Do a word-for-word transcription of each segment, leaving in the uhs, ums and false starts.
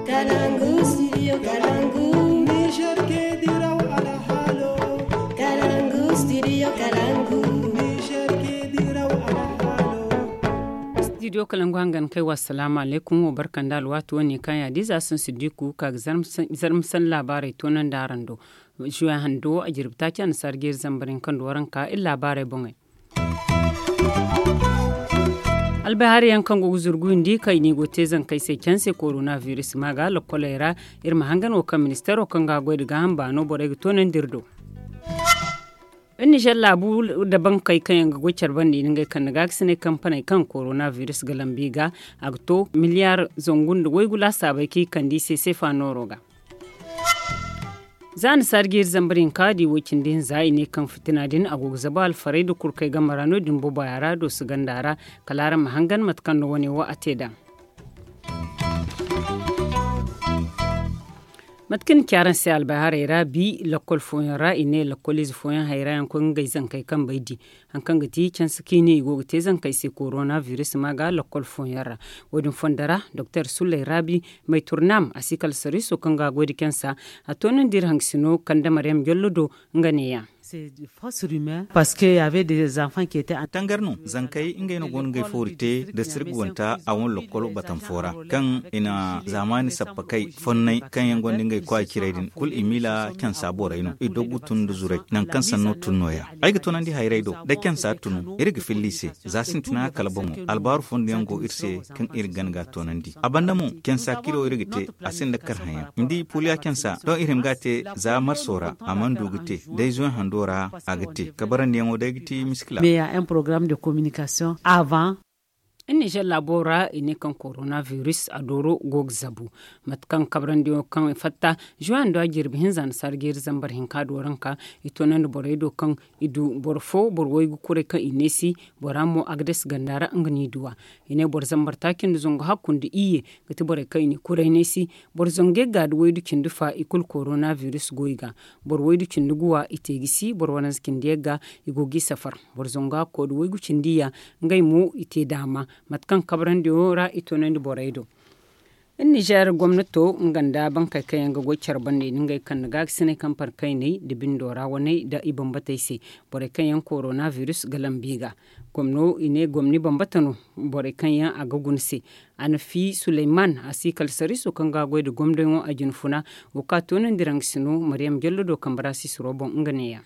Kalangu, studio Kalangu. Niger ke diraw alhalo. Kalangu, studio Kalangu. Niger ke diraw alhalo. Studio Kalangu hangan kai wa, assalamu alaikum, wa barkan da alwatu wani kan ya diza sun sidiku ka ga zarmsan labarai tonan da aran do. Juwa hando a jirbi taci a na sargeri zambarin kan do waran ka illa labarai bongai. Albay hari yaŋ kaŋ go ga zurgu indi kay ni go te zankay se canse korona virus ma ga lokkolay ra. Iri ma hangan wo kaŋ ministero kaŋ ga goy da gaaham baano borey ga toonandi iri do. Iri nizer laabu da bankey kaŋ yaŋ ga goy care banda i na ngey kande gaakasinay kampaney kaŋ korona virus ga lambu i ga. A ga to miliyar zangu nda waygu laasaabey kaŋ i kande i se seefa nooro ga. Za ni sarji iri zambar hinka di woy cindi hinza i ne kaŋ fitina din a go ga zabu alfarey da kurkey game ra no- din boboya ra dooso ganda ra. Kala araŋ ma hangan mate kaŋ no wane wo a te nd'a. Mate kaŋ ni ci araŋ se albay haray ra bi lakkol fooyaŋ ra i ne lakkol ize fooyaŋ hayra yaŋ koy ngey zankey kambey di. Hari kaŋ ga ti canse kaŋ i ne i go ga te zankey se korona virus ma ga lakkol fooyaŋ ra. Wo- din fondo ra doktor sulley raabi may turnam a si kala sariiso kaŋ ga a goy nda cansa. A toonandi iri hangasino kande maryam jollo do nga ne- ya. Tangar no zankey ngey no go no ngey foori te da sirgawanta a wane lakkol batam fo ra kaŋ i na zaamaani sappa kay fonnay kaŋ yaŋ gonda ngey kwaay ciray din kulu i miila cansa borey no i doggu tun nda zuray nangu kaŋ sanno tun no- ya. Ay ga toonandi hayray do da cansa tun iri ga filla i se. Za sintina kala boŋo albaaru fondo yaŋ go iri se kaŋ iri ga gana ga a toonandi a banda mo cansa kiro iri ga te. A sinda kar haŋ yaŋ ni di puliya cansa doŋ iri hima ga a te za marso ra a mana du ga te. Day zuwan hando ra a ga te kabarandi yaŋo day ga ti miskila. Iri nizer laabo ra i ne kaŋ korona virus a dooro go ga zabu. Mate kaŋ kabrandi yaŋo kaŋ i fatta zuwan do a jirbi hinza na sarji iri zambar hinka do ranka i toonandi borey do kaŋ i du boro fo boro waygu kuray kaŋ i neesi. Bora mo a ga dase ganda ra nga no i duwa. I ne boro zambar taaci nda zangu hakku nda iyye ga ti borey kaŋ i na i kuray neesi. Boro zangu yagga nda waydu cindi fa i kulu korona virus go i ga. Boro waydu cindi guwa i te gisi boro waranza cindi yagga i go ga i safar. Boro zangu hakko nda waygu cindi iyya ngey mo i te daama. Mate kaŋ kabrandi yaŋo ra i toonandi borey do. Iri nizer gomnato nga nda bankey kaŋ yaŋ ga goy care banda i na ngey kande gaakasinay kaŋ par kayney nda bindo ra waney nda i bambatey se. Borey kaŋ yaŋ korona virus ga lambu i ga gomno i ne gomni bambata no. Borey kaŋ yaŋ a ga guna se a na fi suleyman a si kala sariiso kaŋ ga a goy nda gomdoyaŋo a jinfuna. Wo kaŋ a toonandi rangasino maryam jallo do kambe ra sisiro boŋ nga ne- ya.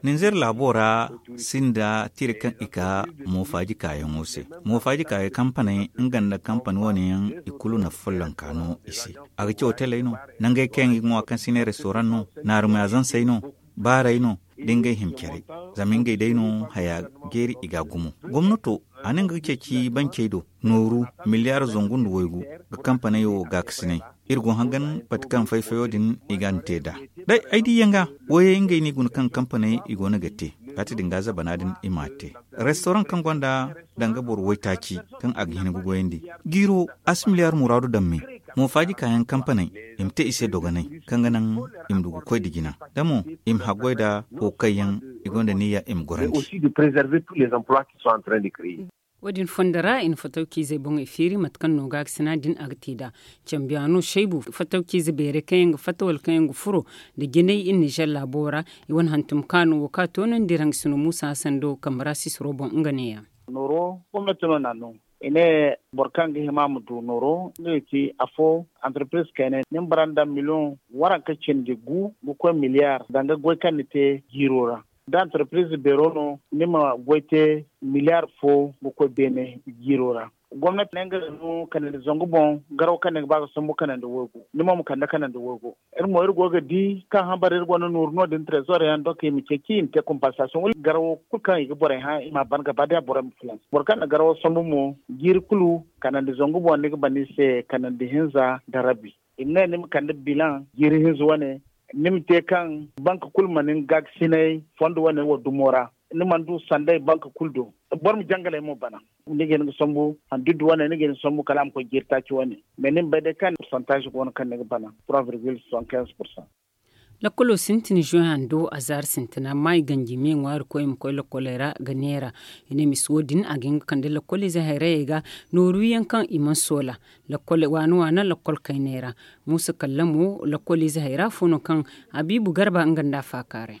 Ninzeer laabo ra sinda tira kaŋ i ka moofaaji kaayaŋo se. Moofaaji kaayey kampaney nga nda kampani wane yaŋ i kulu na follonka no i se. A ga caw teley no nangey kaŋ yaŋ ga ŋwa kaŋ si ne restoran no naarumya zansey no baaray no da ngey hima care. Zama ngey day no haya jeeri i ga a gumo. Gomnato a ne nga ga ceeci bancey do nooru miliyaar zangu nda waygu ga kampaney wo gaakasinay. Iri go hangan pati kaŋ fay-fayo din i ga a na te nd'a. Day ay di yaŋ ga wayey ngey no i guna kaŋ kampaney i go no ga te. Kaati din ga zabana din i m'a te restoran kaŋ gonda danga boro waytaaci kaŋ a ga hin ga goyandi. Jiiro a si miliyaar muraadu daŋ me. Moofaaji kaayaŋ kampaney i ma te i se dogonay kaŋ ga naŋ i ma du ga koy nda jina da mo i ma haggoy nda wo kaŋ yaŋ i gonda niyya i ma gorandi. Wo- din fondo ra i na fatawciizey boŋey feeri mate kaŋ no gaakasina din a ga te nd'a. Cambiyaano saybu fatawciize beerey kaŋ yaŋ ga fatta wala kaŋ yaŋ ga furo nda jinay iri nizer laabo ra. I wane hantum kaano wo kaŋ a toonandi rangasino muusa hasan do kambe ra sisiro boŋ nga ne- ya. Nooro gomnati no n'a no i ne boro kaŋ ga hima a ma du nooro nga ga ti afo. Antarpiriz kayna ni ma bara nda miliyoŋ waranka cindi gu ga koy miliyaar danga goy kaŋ ni te jiiro ra. Da antarpiriz beero no ni ma goy te miliyaar fo ga koy beene jiiro ra. Gomnati ne nga no kanandi zangu boŋ garaw kaŋ ni ga ba ga sambu kanandi waygu ni mo ma kande kanandi waygu. Iri mo iri go ga di kaŋ hambara iri gonda nooru no- din trezor yaŋ donk i ma ceeci i ma te kompansasion wala garawo kulu kaŋ i ga borey hã i m'a ban gaba day a borey ma filans boro kaŋ na garawo sambu mo jiiri kulu kanandi zangu boŋ ni ga ban i se kanandi hinza nda rabi. I ma ne ni ma kande bilaŋ jiiri hinza wane ni ma te kaŋ bank kulu ma ni gaakasinay fondo wane wo dumo ra. Ni mana du sanday bank kulu do boro ma jangalay mo bana. Ni ga hin ga sambu handuddu wane ni ga hin ga sambu kala a ma koy jiiri taaci wane. Mais ni ma bay day kaŋ poursantaaz go no kaŋ ni ga bana trois virgule soixante quinze pourcent. Lakkolo sintin zuwey hando a zaari sintina amma i ganji me ŋwaari koy i ma koy lakkoley ra ga neera. I ne misa wo- din a ga hin ga kande lakkoliize hayrayey ga nooru yaŋ kaŋ i mana soola. Lakkol waana waana lakkol kayney ra. Muusa kallamo lakkoliize hayra fo no kaŋ habiibu garba nga nda a faakaaray.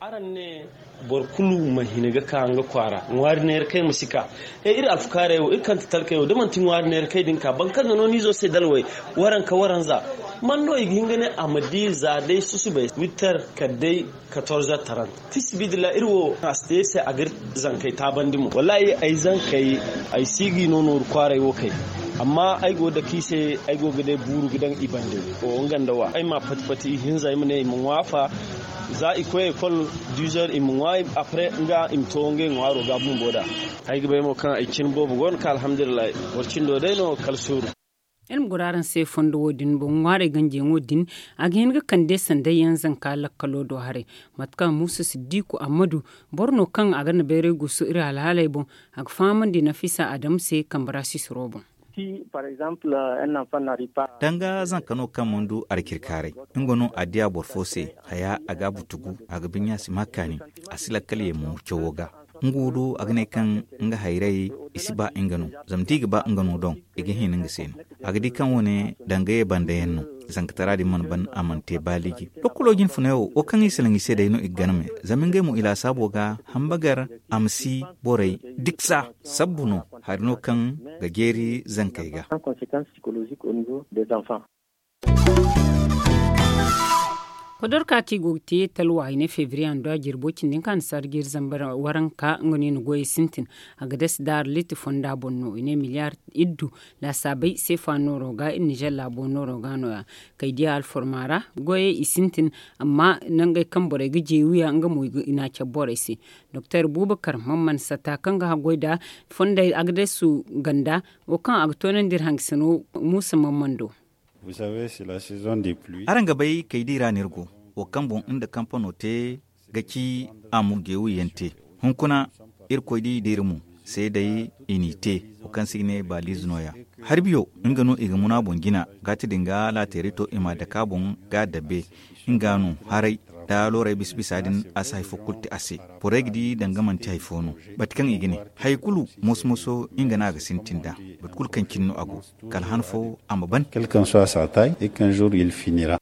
Araŋ ne boro kulu ma hina ga ka nga kwaara ŋwaari neera kay ma si ka. Iri alfukaarey wo iri kante talkey wo da manti ŋwaari neera kay din ka boro kaŋ ga no ni izo se dalwey waranka waranza. Man no i ga hin ga ne a ma di za day susubay witter kala day katorze tarant. Fi sabiidillah iri wo a si te iri se a ga iri zankey taabandi mo wallaahi ay zankey ay si ga i no nooru kwaaray wo kay. Amma ay go ga dake i se ay go ga day buuru ga daŋ i bande. Nga nda wa ay ma pati pati ihinza ay ma ne i ma ŋwa afa. Za i koy ekol duzer i ma ŋwa apre nga i ma to ngey ŋwaaro ga bumbo da. Ay ga bay mo kaŋ ay cine boobo go no ka alhamdulillahi. Boro cindo day no kala suuru. Iri ma goro araŋ se fondo wo- din boŋ ŋwaarey ganjiyaŋo din. A ga hin ga kande sanday yaŋ zanka lakkalo do haray. Mate kaŋ muusa siddiku ammadu boro no kaŋ a ga na bayray guusu iri alhaaley boŋ. A ga fahamandi nafisa adamu se kambe ra sisiro boŋ. Danga zanka no kaŋ mana du arcirkaaray, nga no a diya boro fo se haya a ga a butugu a ga binya si ma kaani. A si lakkal ye mo cawo ga. Nga wo do a ga ne kaŋ nga hayray i si ba nga no. Zama da i ga ba nga no doŋ i ga hina nga se no. A ga di kaŋ wo- ne danga ye banda yaŋ no. Zankatara din mana ban a mana te baaliji. Lokolo jinfunay wo wo kaŋ i salaŋ i se day no i ga gana me. Zama ngey mo i laasaabo ga hambagar a ma si borey diksa. Sabbu no hari no kaŋ ga jeeri zankey ga. Kodorka kaŋ i go ga te talwa i ne febriye a nda jirbo cindi hinka a na si arjiri zambar waranka nga no i na goyey sintin. A ga dasi daara liiti fonda boŋ no i ne miliyar iddu. Laasaabey seefa nooro ga iri nizer laabo nooro ga no- ya. Kay diya alforma ra goyey i sintin. Amma nangey kaŋ borey ga jeewi ya nga mo i na a cabe borey se. Doktor buubakar man mana sata kaŋ ga haggoy nda fondey a ga dasi ganda wo kaŋ a ga toonandi iri hangasino. Muusa man mana do. Araŋ ga bay kay di ra no iri go wo kaŋ boŋ nda kampano te ga ci a ma geewu yaŋ te. Hunkuna irkoy di da iri mo seeday i n'i te. Wo kaŋ se i ga ne baaliize no- ya. Hari biyo nga no i ga muna boŋ jina. Gaati din ga laateeri to i m'a dake a boŋ ga a dabbe. Nga no haray da looray bisa bisa din a si hari fo kulu te a se. Borey ga di danga manti hari fo no. Mate kaŋ i ga ne hari kulu moso moso nga no a ga sintin nd'a. Mate kulu kaŋ cine no a go. Kala han fo a ma ban. Kala kaŋ so a si a taay i kaŋ zuuru il finira.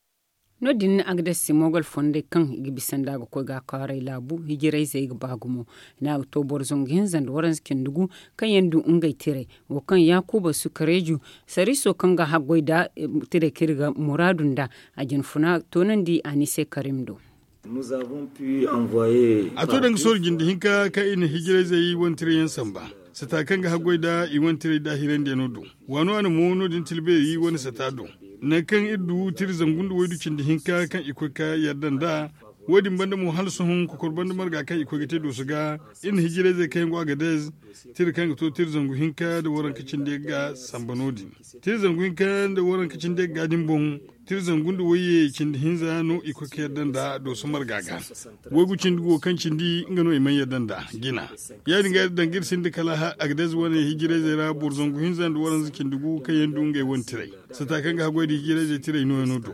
No- din a ga dasi moogol fondey kaŋ i ga bisa nd'a ga koy ga a kaaray laabu hijirayzey ga ba gumo. I ne a ga to boro zangu hinza nda waranza cindi gu kaŋ yaŋ du ngey tiray. Wo kaŋ yaakuba sukareeju sariiso kaŋ ga haggoy nda tiray kaŋ iri ga muraadu nd'a. A jinfuna toonandi a ne i se karim do. A to danga sohõ jinde hinka kaŋ i na hijirayzey wane tiray yaŋ samba. Sata kaŋ ga haggoy nda i wane tiray nda hirandiyaŋo do. Waano a na mo no- din tilbeeri wane sata do. Nangu kaŋ iri du tira zangu nda waydu cindi hinka kaŋ i koy ga yadda nd'a. Wo- din banda mo hala sohõ kokor banda marga kaŋ i koy ga te dooso ga. Iri na hijirayzey kaŋ yaŋ go agadez tira kaŋ ga to tira zangu hinka nda waranka cindi ga samba no- din. Tira zangu hinka nda waranka cindi ga din boŋ. Tira zangu nda wayye cindi hinza no i koy ga yadda nd'a dooso marga ga. Waygu cindi go kaŋ cindi nga no i mana yadda nd'a jina. Ya- din ga danga iri sinda kala agadez wane hijirayzey ra boro zangu hinza nda waranza cindi gu kaŋ yaŋ du ngey wane tiray. Sata kaŋ ga haggoy nda hijirayzey tiray nooyaŋo do.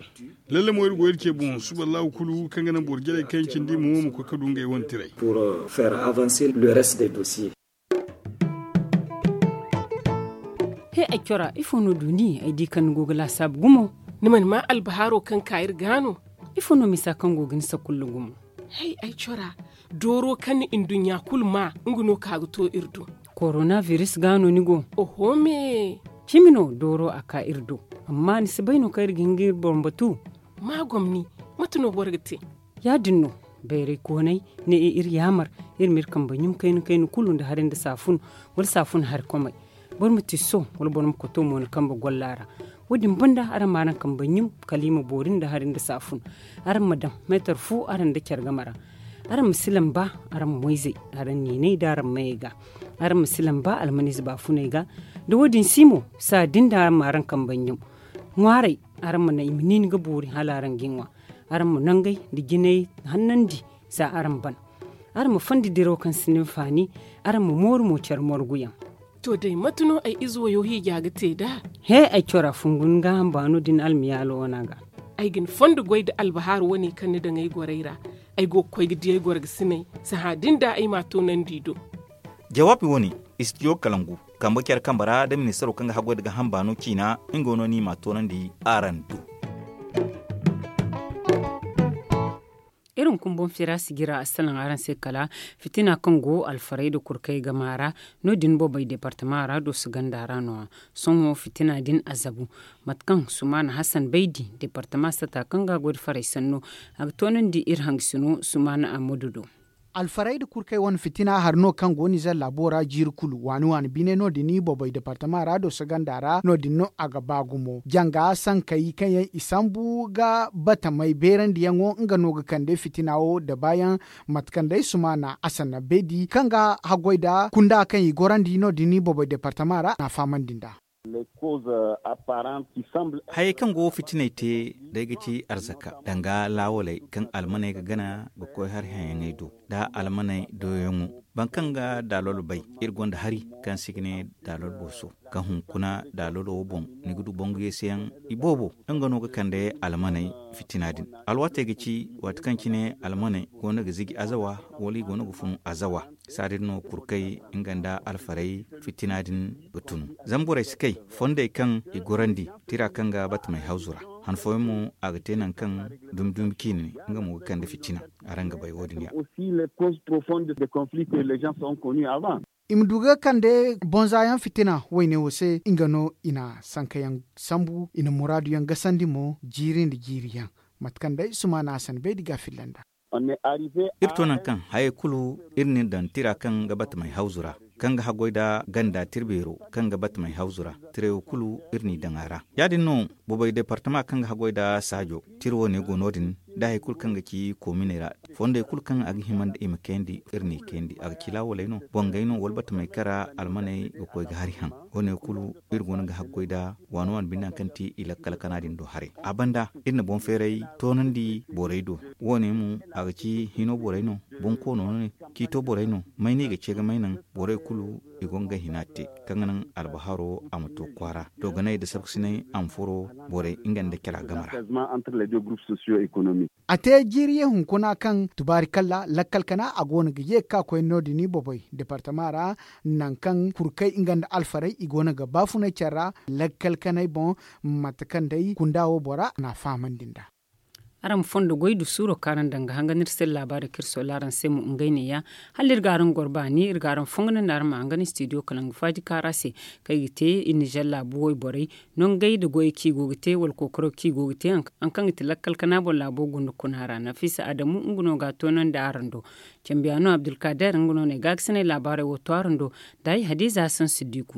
Lalle mo iri go iri ce boŋ suba allahu kulu kaŋ ga naŋ boro jarey kaŋ yaŋ cindi mo ma koy ga du ngey wane tiray. He ay cora ifo no du ni ay di kaŋ ni go ga laasaabu gumo? Ni mana maa albahaaro kaŋ ka iri ga no? Ifo no misa kaŋ go ga ni sakulla gumo? Hay ay cora dooro kaŋ ni nduɲɲa kulu maa nga no ka ga to iri do. Korona biris ga no ni go? Oho me. Cimi no dooro a ka iri do. Amma ni si bay no kaŋ iri ga hin ga iri boŋ batu? Ma gomni. Mate no boro ga te? Ya- din no. Bayray koonay ne iri yaamar iri ma iri kambe ɲum kayna kayna kulu nda hari nda saafun wala saafun hari komay. Boro ma tiso wala boro ma koto mo ni kambe golla ra. Wo- din banda araŋ ma araŋ kambe ɲum kala i ma boori nda hari nda saafun. Araŋ ma daŋ meetar fu araŋ nda care game ra. Araŋ ma si lamba araŋ moyzey araŋ niinay nda araŋ mayey ga. Araŋ ma si lamba almaniize baafuney ga. Da wo- din si mo saa din da araŋ ma araŋ kambe ɲum. Ŋwaaray araŋ ma naŋ i ma niini ga boori hala araŋ ga i ŋwa. Araŋ ma nangey nda jinay hannandi za araŋ ban. Araŋ ma fondi diraw kaŋ si ni hinfaani. Araŋ ma mooru mo care morguyaŋ. To day mate no ay ize wayo hiija ga te nd'a? He ay cora fungu ni gaaham baano din almiyaalo wana ga. Ay ga ni fondo goy nda albahaaru wane kaŋ ni daŋ ay gorey ra. Ay go ga koy ga di ay gorgasiney. Sahã din da ay m'a toonandi i do. Jawaabi wane, istidiyo kalangu, kambe care kambe ra nda ministaro kaŋ ga haggoy nda gaaham baano ciina, nga no no i m'a toonandi araŋ do. Iri hunkuna boŋ feera sijira a salaŋ araŋ se kala fitina kaŋ go alfarey nda kurkey gama ra. No- din boobey deepartama ra dooso ganda ra no- ya. Sohõ fitina din a zabu. Mate kaŋ sumaana hasan baydi deepartama sata kaŋ ga a goy nda faray sanno, a ga toonandi iri hangasino sumaana ammadu do. Alfarey nda kurkey wane fitina hari no kaŋ go nizer laabo ra jiiri kulu waani waani bine no- din boobey deepartama ra dooso ganda ra no- din no a ga ba gumo janga sankey kaŋ yaŋ i sambu ga batamey beerandiyaŋo nga no ga kande fitina wo da baayaŋ. Mate kaŋ day sumaana asanna beedi kaŋ ga haggoy nda kunda kaŋ i gorandi no- din boobey deepartama ra n'a fahamandi nd'a. Hayey kaŋ go fitiney te, day ga ci arzaka danga laawaley kaŋ almaney ga gana ga koy hari hayaŋey do, nda almaney doyaŋo. Boro kaŋ ga daalol bay, iri gonda hari kaŋ se i ga ne daalol booso, kaŋ hunkuna daalolo wo boŋ ni ga du bangu yeeseyaŋ iboobo. Nga no ga kande almaney fitina din. Alwaatey ga ci waati kaŋ cine almaney goono ga ziji azawa, wala i goono ga fun azawa. Saa din no kurkey nga nda alfarey fitina din ga tunu. Zama borey si kay fondey kaŋ i gorandi tira kaŋ ga batamey hawzu ra. Han fooyaŋ mo a ga te nangu kaŋ dumi dumi ciine nga mo ga kande fitina. Araŋ ga bay wo- din ya. I ma du ga kande bonzayaŋ fitina wayne wo se nga no i na sankayaŋ sambu i na muraadu yaŋ gasandi mo jiiri nda jiiri yaŋ. Mate kaŋ day sumaana a sanda baydi ga a filla nd'a. Iri to nangu kaŋ hayey kulu iri n'i daŋ tira kaŋ ga batamey hawzu ra, kaŋ ga haggoy nda ganda tirbeero kaŋ ga batamey hawzu ra. Tirey wo kulu iri n'i daŋ a ra. Ya- din no boobey deepartama kaŋ ga haggoy nda saajo tira wo- ne go no- din, nda hari kulu kaŋ ga ci koominey ra. Fondey kulu kaŋ a ga hima nda i ma kayandi, iri n'i kayandi a ga ci laawaley no, bangey no wala batamey kara almaney ga koy ga hari haŋ. Wo- ne kulu iri goono ga haggoy nda waani waani binde hari kaŋ ti i lakkal kana din do haray. A banda iri na boŋ feeray toonandi borey do. Wo- ne mo a ga ci hino borey no, bonkoono no ne, ciito borey no, may no i ga ce ga may naŋ. Borey kulu i go ga hina te kaŋ ga naŋ albaharo a ma to kwaara, dooganay nda sarkusinay a ma furo borey nga nda cara game ra. A te jiiri ye hunkuna kaŋ tubaari kalla lakkal kana a goono ga ye ga ka koy no- din boboy deepartama ra, nangu kaŋ kurkey nga nda alfarey i goono ga baafunay care ra lakkal kanay boŋ. Mate kaŋ day kunda wo bora n'a fahamandi nd'a. Araŋ ma fondo goy du suuro kaŋ araŋ daŋ ga hangan iri se laabaarey kaŋ iri soola araŋ se mo ngey neeya. Hala iri ga araŋ goro baani iri ga araŋ fongonandi araŋ ma hangan istidiyo kala nga faaji kaara se, kaŋ i ga te iri nizer laabu wayborey nongey nda goyey kaŋ i go ga te wala kookaro kaŋ i go ga te. Hari kaŋ ga ti lakkal kana boŋ laabo gunda kuna ra nafiisa adamu nga no ga a toonandi araŋ do. Cambiyaano abdulkaader nga no na ay gaakasinay laabaarey wo to araŋ do. Nda ay hadiiza hasan siddiku.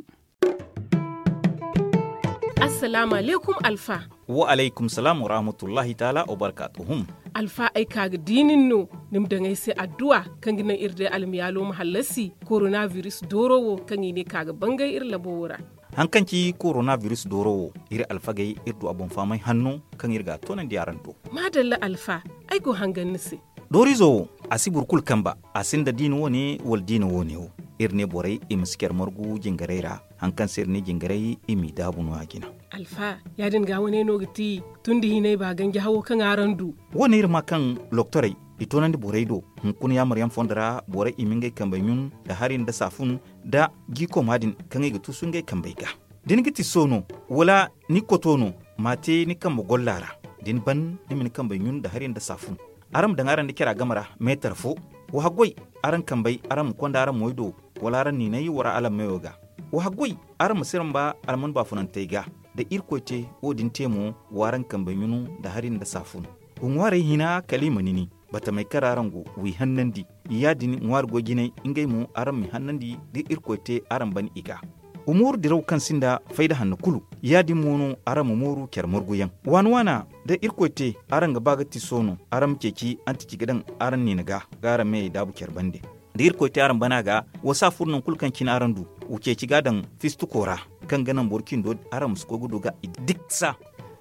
Assalaamu alaykum alfa. Wa alaykum salaam wa rahmatullahi taala wa barkaatuhum. Alfa ay ka ga di nin no ni ma daŋ ay se adduwa kaŋ ga naŋ iri day almiyaalo ma hallasi koronabiris dooro wo kaŋ i ne ka ga bangay iri labo wo ra. Hari kaŋ ci koronabiris dooro wo, iri alfagey iri du a boŋ fahamay hanno kaŋ iri ga a toonandi araŋ do. Maadalla alfa, ay go hangan ni se. Dooriizo wo, a si boro kulu kamba. A sinda diina wo- ne wala diina wo- ne wo. Iri ne borey i ma si care margu jingarey ra. Hari kaŋ se iri ne jingarey i m'i daabu no- ya jina. Alfa, ya- din ga wane no ga ti tun da hinay ba ganji hawo kaŋ araŋ du. Wo- ne iri ma kaŋ loktorey i toonandi borey do. Hunkuna yaamaryaŋ fondo ra borey i ma ngey kambey ɲun nda hari nda saafun nda jiikooma din kaŋ i ga tuusu ngey kambey ga. Da ni ga ti soono wala ni koto no, m'a te ni kambe golla ra. Da ni ban ni ma ni kambey ɲun nda hari nda saafun. Araŋ ma daŋ araŋ nda cara game ra meetar fo. Wa haggoy, araŋ kambey araŋ ma konda araŋ moy do, wala araŋ niinay wara alammeyo ga. Wa haggoy, araŋ ma si ramba alman baafunantey ga. Da irkoy te wo- din te mo, w'araŋ kambey ɲunu nda hari nda saafun. Wa ŋwaarey hina kala i ma nini. Batamey kaŋ ra araŋ go, w'i hannandi. Ya- din ŋwaari goy jinay ngey mo araŋ m'i hannandi da irkoy te araŋ ban i ga. Wa mooru diraw kaŋ sinda fayda hanno kulu. Ya- din mo no araŋ ma mooru care marguyaŋ waana waana. Da irkoy te araŋ ga ba ga ti soono araŋ ma ceeci antici ga daŋ araŋ niina ga ga araŋ meyey daabu care bande. Da irkoy te araŋ bana ga, wa si a furo nangu kulu kaŋ cine araŋ du. Wa ceeci ga daŋ fistuko ra kaŋ ga naŋ boro cindo araŋ ma si koy ga du ga i diksa.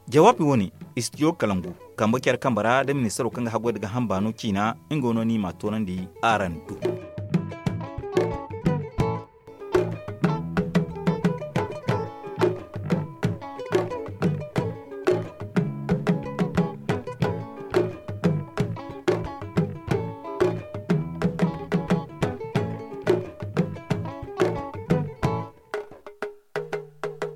Jawaabi wo- ne, istidiyo kalangu kambe care kambe ra nda ministaro kaŋ ga haggoy nda gaaham baano ciina. Nga no no i m'a toonandi araŋ do.